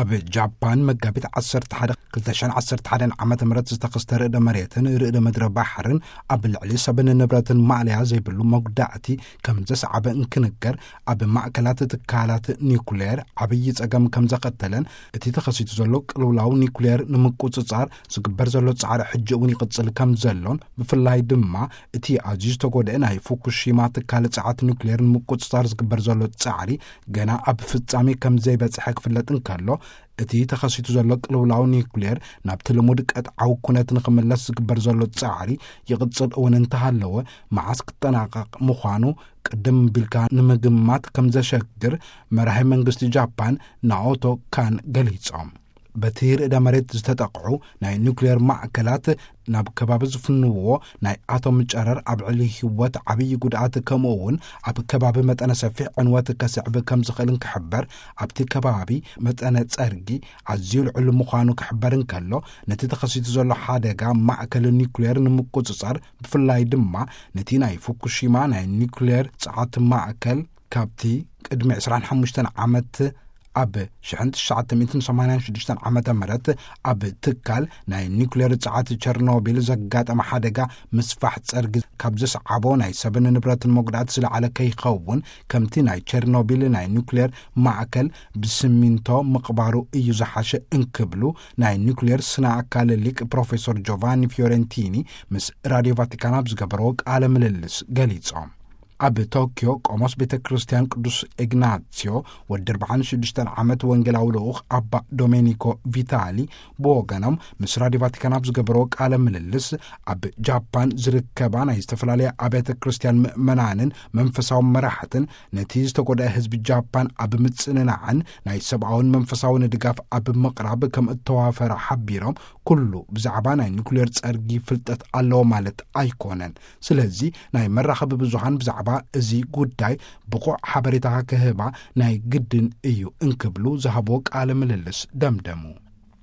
ኣብ ጃፓን መጋቢት ዓሰርተ ሓደ ክልተ ሽሕን ዓሰርተ ሓደን ዓመተ ምህረት ዝተኸስተ ርእደ መሬትን ርእደ ምድረ ባሕርን ኣብ ልዕሊ ሰብን ንብረትን ማእለያ ዘይብሉ መጉዳእቲ ከም ዘስዓበ እንክንገር፣ ኣብ ማእከላት ትካላት ኒኩሌር ዓብዪ ጸገም ከም ዘኸተለን እቲ ተኸሲቱ ዘሎ ቅልውላው ኒኩሌር ንምቁጽጻር ዝግበር ዘሎ ጻዕሪ ሕጂ እውን ይቕጽል ከም ዘሎን፣ ብፍላይ ድማ እቲ ኣዝዩ ዝተጎድአ ናይ ፉኩሺማ ትካል ጸዓት ኒኩሌር ንምቁጽጻር ዝግበር ዘሎ ጻዕሪ ገና ኣብ ፍጻሜ ከም ዘይበጽሐ ክፍለጥ እንከሎ፣ እቲ ተኸሲቱ ዘሎ ቅልውላው ኒኩሌር ናብቲ ልሙድ ቀጥዓዊ ኩነት ንኽምለስ ዝግበር ዘሎ ጻዕሪ ይቕጽል እውን እንተሃለወ፣ መዓስ ክጠናቐቕ ምዃኑ ቅድም ቢልካ ንምግማት ከም ዘሸግር መራሒ መንግስቲ ጃፓን ናኦቶ ካን ገሊጾም። በቲ ርእደ መሬት ዝተጠቕዑ ናይ ኒኩሌር ማእከላት ናብ ከባቢ ዝፍንውዎ ናይ ኣቶም ጨረር ኣብ ዕሊ ህይወት ዓብዪ ጉድኣት፣ ከምኡ እውን ኣብ ከባቢ መጠነ ሰፊሕ ዕንወት ከስዕብ ከም ዝኽእልን ክሕበር፣ ኣብቲ ከባቢ መጠነ ጸርጊ ኣዝዩ ልዑል ምዃኑ ክሕበር እንከሎ፣ ነቲ ተኸሲቱ ዘሎ ሓደጋ ማእከል ኒኩሌር ንምቁጽጻር፣ ብፍላይ ድማ ነቲ ናይ ፉኩሺማ ናይ ኒኩሌር ጸዓት ማእከል፣ ካብቲ ቅድሚ ዕስራን ሓሙሽተን ዓመት ኣብ ሽሕን ትሽዓተ ሚእትን ሰማንያን ሽዱሽተን ዓመተ ምህረት ኣብ ትካል ናይ ኒኩሌር ጸዓት ቸርኖቢል ዘጋጠመ ሓደጋ ምስፋሕ ጸርጊ ካብ ዘስዓቦ ናይ ሰብን ንብረትን መጉዳእቲ ዝለዓለ ከይኸውን፣ ከምቲ ናይ ቸርኖቢል ናይ ኒኩሌር ማእከል ብስሚንቶ ምቕባሩ እዩ ዝሓሸ እንክብሉ ናይ ኒኩሌር ስነ ኣካል ሊቅ ፕሮፌሰር ጆቫኒ ፊዮረንቲኒ ምስ ራድዮ ቫቲካን ኣብ ዝገበርዎ ቃለ ምልልስ ገሊጾም። ኣብ ቶኪዮ ቆሞስ ቤተ ክርስቲያን ቅዱስ ኢግናትዮ ወዲ ኣርባዓን ሽዱሽተን ዓመት ወንጌላዊ ልኡኽ ኣባ ዶሜኒኮ ቪታሊ ብወገኖም ምስ ራድዮ ቫቲካን ኣብ ዝገበርዎ ቃለ ምልልስ፣ ኣብ ጃፓን ዝርከባ ናይ ዝተፈላለያ ኣብያተ ክርስቲያን ምእመናንን መንፈሳዊ መራሕትን ነቲ ዝተጎድአ ህዝቢ ጃፓን ኣብ ምጽንናዕን ናይ ሰብኣውን መንፈሳውን ድጋፍ ኣብ ምቕራብ ከም እተዋፈረ ሓቢሮም፣ ኩሉ ብዛዕባ ናይ ኒኩሌር ጸርጊ ፍልጠት ኣለዎ ማለት ኣይኮነን። ስለዚ ናይ መራኸቢ ብዙሃን ብዛዕባ እዚ ጉዳይ ብቑዕ ሓበሬታ ክህባ ናይ ግድን እዩ እንክብሉ ዝሃብዎ ቃለ ምልልስ ደምደሙ።